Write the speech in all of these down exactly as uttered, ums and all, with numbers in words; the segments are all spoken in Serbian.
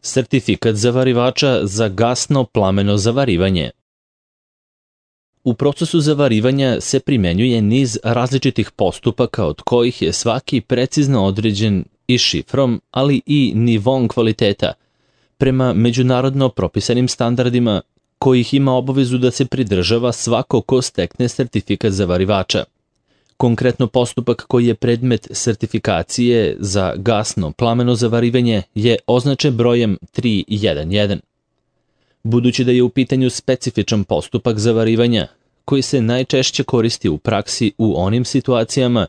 Sertifikat zavarivača za gasno plameno zavarivanje. U procesu zavarivanja se primenjuje niz različitih postupaka od kojih je svaki precizno određen i šifrom, ali i nivom kvaliteta, prema međunarodno propisanim standardima kojih ima obavezu da se pridržava svako ko stekne sertifikat zavarivača. Konkretno postupak koji je predmet sertifikacije za gasno plameno zavarivanje je označen brojem tri jedan. Budući da je u pitanju specifičan postupak zavarivanja, koji se najčešće koristi u praksi u onim situacijama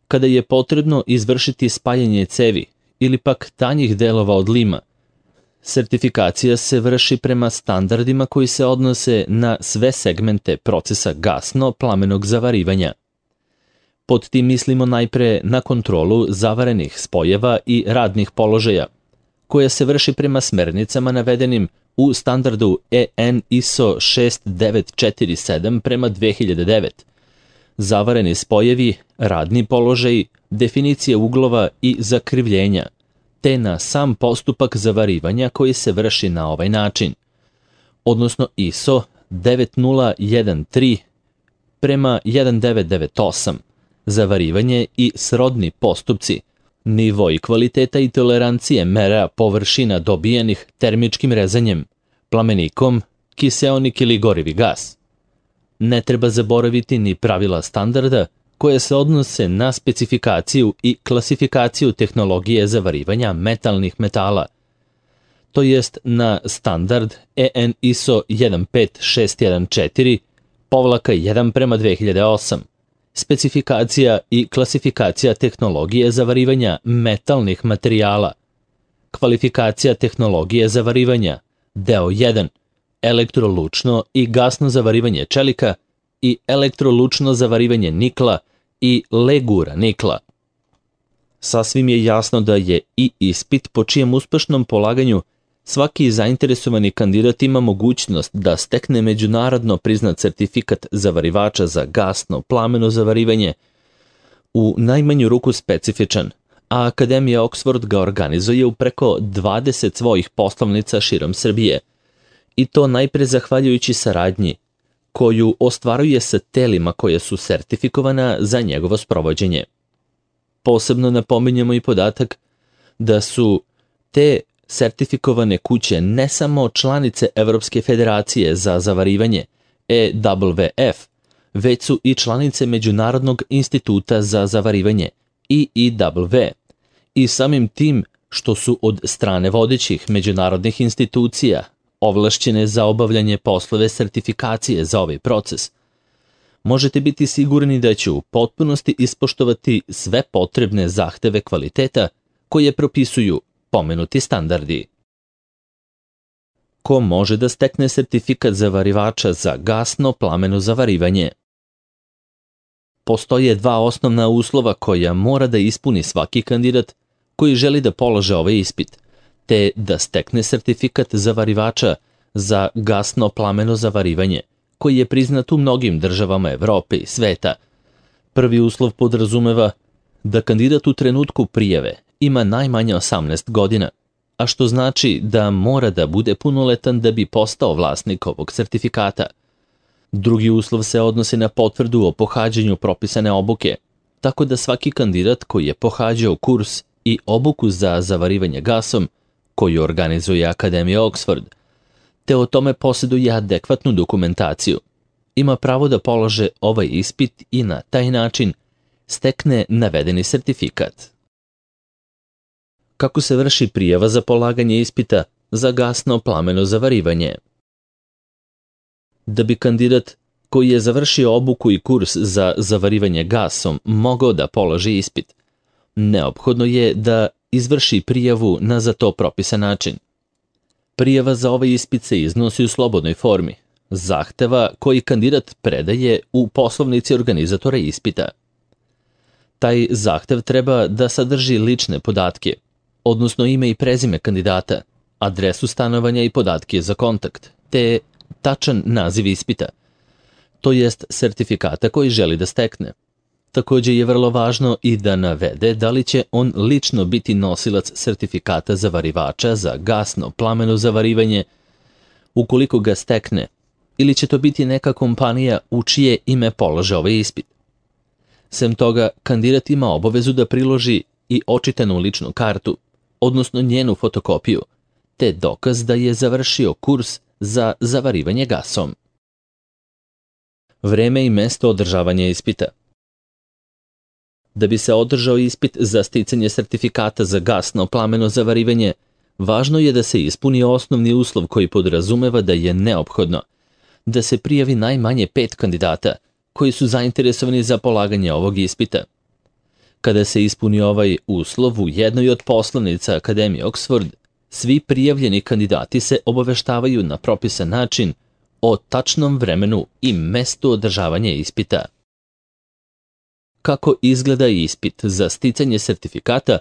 kada je potrebno izvršiti spajanje cevi ili pak tanjih delova od lima, sertifikacija se vrši prema standardima koji se odnose na sve segmente procesa gasno plamenog zavarivanja. Pod tim mislimo najpre na kontrolu zavarenih spojeva i radnih položaja, koja se vrši prema smernicama navedenim u standardu E N I S O šest devet četiri sedam prema dve hiljade devet. Zavareni spojevi, radni položaji, definicije uglova i zakrivljenja, te na sam postupak zavarivanja koji se vrši na ovaj način, odnosno I S O devet nula jedan tri prema jedan devet devet osam, zavarivanje i srodni postupci, nivo i kvaliteta i tolerancije mera površina dobijenih termičkim rezanjem, plamenikom, kiseonik ili gorivi gas. Ne treba zaboraviti ni pravila standarda koje se odnose na specifikaciju i klasifikaciju tehnologije zavarivanja metalnih metala, to jest na standard E N I S O jedan pet šest jedan četiri povlaka jedan prema dve hiljade osam, specifikacija i klasifikacija tehnologije zavarivanja metalnih materijala, kvalifikacija tehnologije zavarivanja, deo jedan, elektrolučno i gasno zavarivanje čelika i elektrolučno zavarivanje nikla i legura nikla. Sasvim je jasno da je i ispit po čijem uspešnom polaganju svaki zainteresovani kandidat ima mogućnost da stekne međunarodno priznat sertifikat zavarivača za gasno plameno zavarivanje u najmanju ruku specifičan, a Akademija Oxford ga organizuje u preko dvadeset svojih poslovnica širom Srbije, i to najpre zahvaljujući saradnji koju ostvaruje sa telima koje su sertifikovana za njegovo sprovođenje. Posebno napominjemo i podatak da su te sertifikovane kuće ne samo članice Evropske federacije za zavarivanje E W F, već su i članice Međunarodnog instituta za zavarivanje I I W, i samim tim što su od strane vodećih međunarodnih institucija ovlašćene za obavljanje poslove sertifikacije za ovaj proces, možete biti sigurni da će u potpunosti ispoštovati sve potrebne zahteve kvaliteta koje propisuju pomenuti standardi. Ko može da stekne sertifikat zavarivača za gasno plameno zavarivanje? Postoje dva osnovna uslova koja mora da ispuni svaki kandidat koji želi da polože ovaj ispit, te da stekne sertifikat zavarivača za gasno plameno zavarivanje, koji je priznat u mnogim državama Evrope i sveta. Prvi uslov podrazumeva da kandidat u trenutku prijave ima najmanje osamnaest godina, a što znači da mora da bude punoletan da bi postao vlasnik ovog sertifikata. Drugi uslov se odnosi na potvrdu o pohađanju propisane obuke, tako da svaki kandidat koji je pohađao kurs i obuku za zavarivanje gasom, koju organizuje Akademija Oxford, te o tome posjeduje adekvatnu dokumentaciju, ima pravo da polože ovaj ispit i na taj način stekne navedeni sertifikat. Kako se vrši prijava za polaganje ispita za gasno plameno zavarivanje? Da bi kandidat koji je završio obuku i kurs za zavarivanje gasom mogao da položi ispit, neophodno je da izvrši prijavu na za to propisan način. Prijava za ovaj ispit se iznosi u slobodnoj formi, zahteva koji kandidat predaje u poslovnici organizatora ispita. Taj zahtev treba da sadrži lične podatke, odnosno ime i prezime kandidata, adresu stanovanja i podatke za kontakt, te tačan naziv ispita, to jest sertifikata koji želi da stekne. Takođe je vrlo važno i da navede da li će on lično biti nosilac sertifikata zavarivača za gasno plameno zavarivanje, ukoliko ga stekne, ili će to biti neka kompanija u čije ime polaže ovaj ispit. Sem toga, kandidat ima obavezu da priloži i očitanu ličnu kartu, odnosno njenu fotokopiju, te dokaz da je završio kurs za zavarivanje gasom. Vreme i mesto održavanja ispita. Da bi se održao ispit za sticanje sertifikata za gasno plameno zavarivanje, važno je da se ispuni osnovni uslov koji podrazumeva da je neophodno da se prijavi najmanje pet kandidata koji su zainteresovani za polaganje ovog ispita. Kada se ispuni ovaj uslov u jednoj od poslanica Akademije Oxford, svi prijavljeni kandidati se obaveštavaju na propisan način o tačnom vremenu i mestu održavanja ispita. Kako izgleda ispit za sticanje sertifikata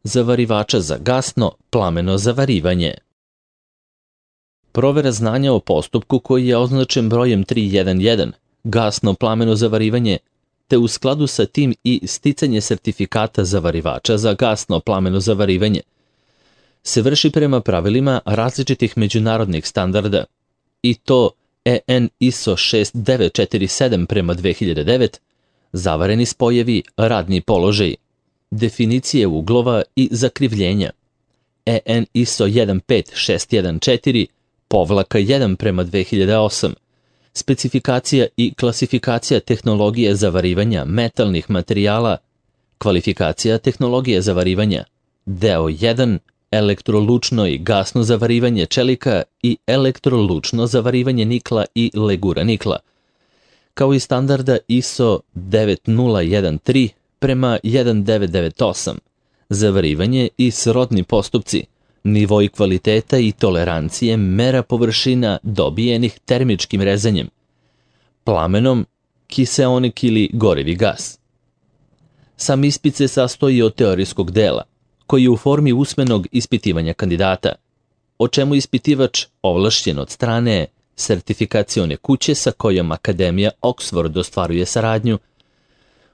zavarivača za gasno plameno zavarivanje? Provera znanja o postupku koji je označen brojem tri jedan, gasno plameno zavarivanje, te u skladu sa tim i sticanje sertifikata zavarivača za gasno plameno zavarivanje, se vrši prema pravilima različitih međunarodnih standarda, i to E N I S O šest devet četiri sedam prema dve hiljade devet, zavareni spojevi, radni položaj, definicije uglova i zakrivljenja, E N I S O jedan pet šest jedan četiri, povlaka jedan prema dve hiljade osam, specifikacija i klasifikacija tehnologije zavarivanja metalnih materijala, kvalifikacija tehnologije zavarivanja, deo jedan, elektrolučno i gasno zavarivanje čelika i elektrolučno zavarivanje nikla i legura nikla, kao i standarda I S O devet nula jedan tri prema jedan devet devet osam, zavarivanje i srodni postupci, nivoi kvaliteta i tolerancije mera površina dobijenih termičkim rezanjem, plamenom, kiseonik ili gorivi gas. Sam ispit se sastoji od teorijskog dela, koji je u formi usmenog ispitivanja kandidata, o čemu ispitivač, ovlašćen od strane sertifikacione kuće sa kojom Akademija Oxford ostvaruje saradnju,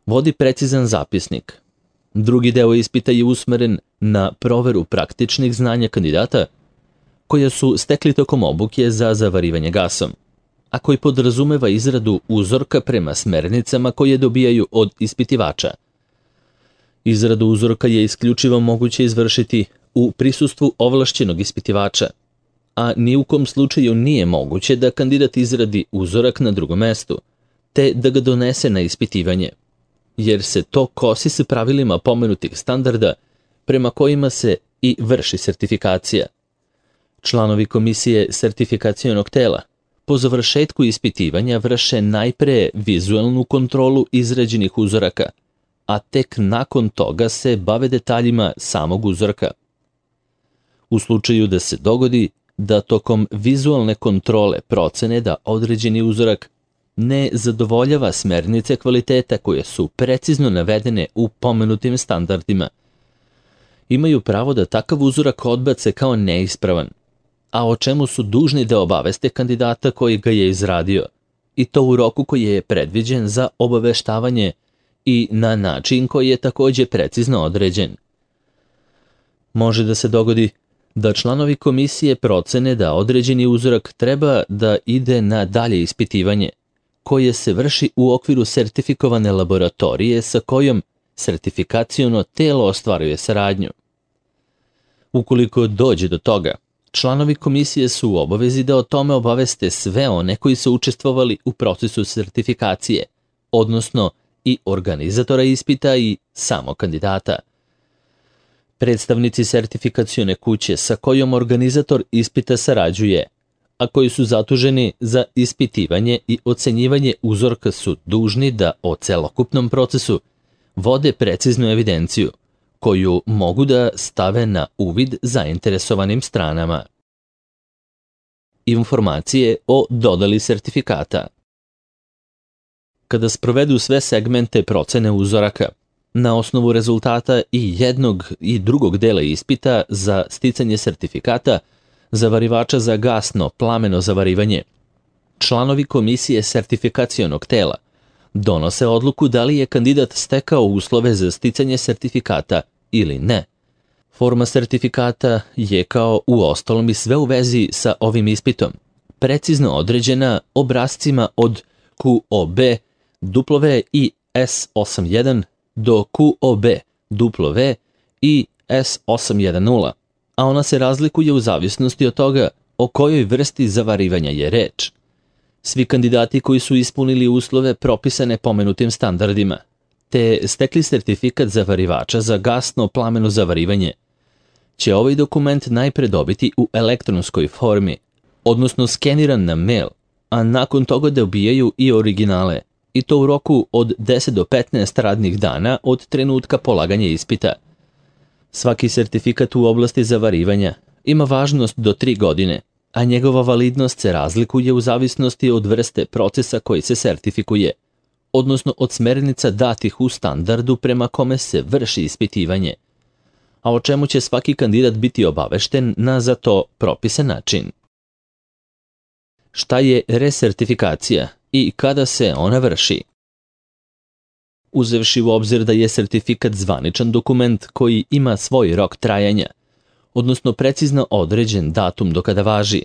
vodi precizan zapisnik. Drugi deo ispita je usmeren na proveru praktičnih znanja kandidata koje su stekli tokom obuke za zavarivanje gasom, a koji podrazumeva izradu uzorka prema smernicama koje dobijaju od ispitivača. Izradu uzorka je isključivo moguće izvršiti u prisustvu ovlašćenog ispitivača, a ni u kom slučaju nije moguće da kandidat izradi uzorak na drugom mestu, te da ga donese na ispitivanje, jer se to kosi sa pravilima pomenutih standarda prema kojima se i vrši sertifikacija. Članovi komisije sertifikacionog tela po završetku ispitivanja vrše najpre vizualnu kontrolu izrađenih uzoraka, a tek nakon toga se bave detaljima samog uzorka. U slučaju da se dogodi da tokom vizualne kontrole procene da određeni uzorak ne zadovoljava smernice kvaliteta koje su precizno navedene u pomenutim standardima, imaju pravo da takav uzorak odbace kao neispravan, a o čemu su dužni da obaveste kandidata koji ga je izradio, i to u roku koji je predviđen za obaveštavanje i na način koji je takođe precizno određen. Može da se dogodi da članovi komisije procene da određeni uzorak treba da ide na dalje ispitivanje, koje se vrši u okviru sertifikovane laboratorije sa kojom sertifikaciono telo ostvaruje saradnju. Ukoliko dođe do toga, članovi komisije su u obavezi da o tome obaveste sve one koji su učestvovali u procesu sertifikacije, odnosno i organizatora ispita i samo kandidata. Predstavnici sertifikacione kuće sa kojom organizator ispita sarađuje, a koji su zaduženi za ispitivanje i ocenjivanje uzorka, su dužni da o celokupnom procesu vode preciznu evidenciju, koju mogu da stave na uvid zainteresovanim stranama. Informacije o dodali sertifikata. Kada sprovedu sve segmente procene uzoraka, na osnovu rezultata i jednog i drugog dela ispita za sticanje sertifikata zavarivača za gasno plameno zavarivanje, članovi komisije sertifikacionog tela donose odluku da li je kandidat stekao uslove za sticanje sertifikata ili ne. Forma sertifikata je, kao u ostalom i sve u vezi sa ovim ispitom, precizno određena obrascima od Q O B W i S osamdeset jedan do Q O B W i S osam jedanaest, a ona se razlikuje u zavisnosti od toga o kojoj vrsti zavarivanja je reč. Svi kandidati koji su ispunili uslove propisane pomenutim standardima, te stekli sertifikat zavarivača za gasno plameno zavarivanje, će ovaj dokument najpre dobiti u elektronskoj formi, odnosno skeniran na mail, a nakon toga dobijaju i originale, i to u roku od deset do petnaest radnih dana od trenutka polaganja ispita. Svaki sertifikat u oblasti zavarivanja ima važnost do tri godine, a njegova validnost se razlikuje u zavisnosti od vrste procesa koji se sertifikuje, odnosno od smernica datih u standardu prema kome se vrši ispitivanje, a o čemu će svaki kandidat biti obavešten na za to propisan način. Šta je resertifikacija i kada se ona vrši? Uzevši u obzir da je sertifikat zvaničan dokument koji ima svoj rok trajanja, odnosno precizno određen datum do kada važi,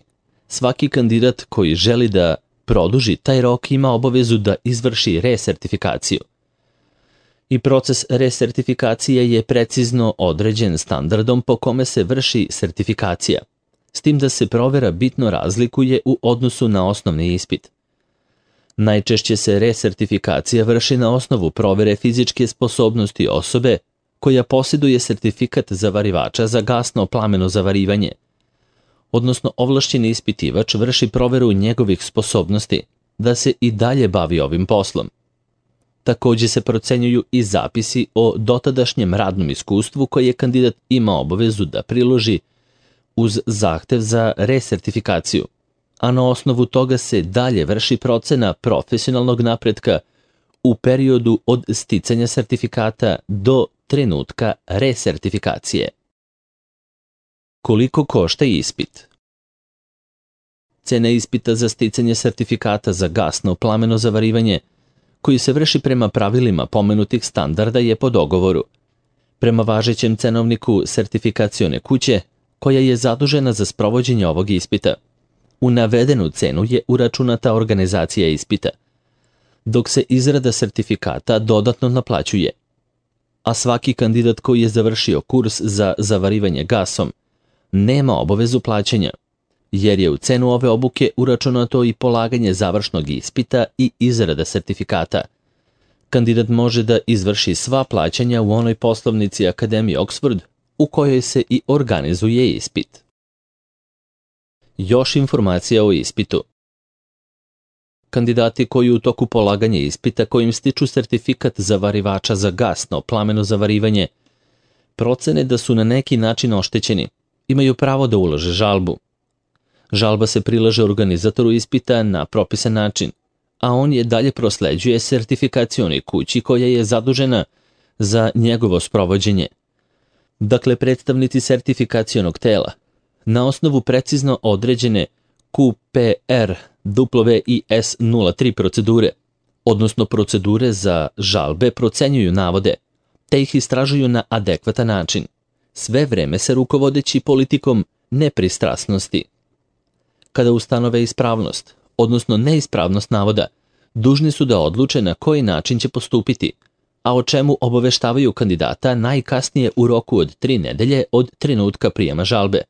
svaki kandidat koji želi da produži taj rok ima obavezu da izvrši resertifikaciju. I proces resertifikacije je precizno određen standardom po kome se vrši sertifikacija, s tim da se provera bitno razlikuje u odnosu na osnovni ispit. Najčešće se resertifikacija vrši na osnovu provere fizičke sposobnosti osobe koja posjeduje sertifikat zavarivača za gasno plameno zavarivanje, odnosno ovlašćeni ispitivač vrši proveru njegovih sposobnosti da se i dalje bavi ovim poslom. Također se procenjuju i zapisi o dotadašnjem radnom iskustvu koje je kandidat ima obavezu da priloži uz zahtev za resertifikaciju, a na osnovu toga se dalje vrši procena profesionalnog napretka u periodu od sticanja sertifikata do trenutka resertifikacije. Koliko košta ispit? Cena ispita za sticanje sertifikata za gasno plameno zavarivanje, koji se vrši prema pravilima pomenutih standarda, je po dogovoru. Prema važećem cenovniku sertifikacione kuće, koja je zadužena za sprovođenje ovog ispita, u navedenu cenu je uračunata organizacija ispita, dok se izrada sertifikata dodatno naplaćuje, a svaki kandidat koji je završio kurs za zavarivanje gasom nema obavezu plaćanja, jer je u cenu ove obuke uračunato i polaganje završnog ispita i izrada sertifikata. Kandidat može da izvrši sva plaćanja u onoj poslovnici Akademije Oxford u kojoj se i organizuje ispit. Još informacija o ispitu. Kandidati koji u toku polaganja ispita kojim stiču sertifikat zavarivača za gasno plameno zavarivanje procene da su na neki način oštećeni, imaju pravo da ulože žalbu. Žalba se prilaže organizatoru ispita na propisan način, a on je dalje prosleđuje sertifikacionoj kući koja je zadužena za njegovo sprovođenje. Dakle, predstavnici sertifikacionog tela, na osnovu precizno određene Q P R W i S nula tri procedure, odnosno procedure za žalbe, procenjuju navode, te ih istražuju na adekvatan način, sve vreme se rukovodeći politikom nepristrasnosti. Kada ustanove ispravnost, odnosno neispravnost navoda, dužni su da odluče na koji način će postupiti, a o čemu obaveštavaju kandidata najkasnije u roku od tri nedelje od trenutka prijema žalbe.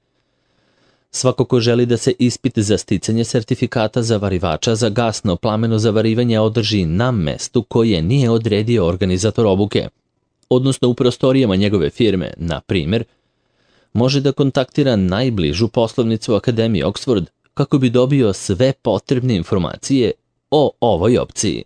Svako ko želi da se ispit za sticanje sertifikata zavarivača za gasno plameno zavarivanje održi na mestu koje nije odredio organizator obuke, odnosno u prostorijama njegove firme, na primjer, može da kontaktira najbližu poslovnicu Akademije Oxford kako bi dobio sve potrebne informacije o ovoj opciji.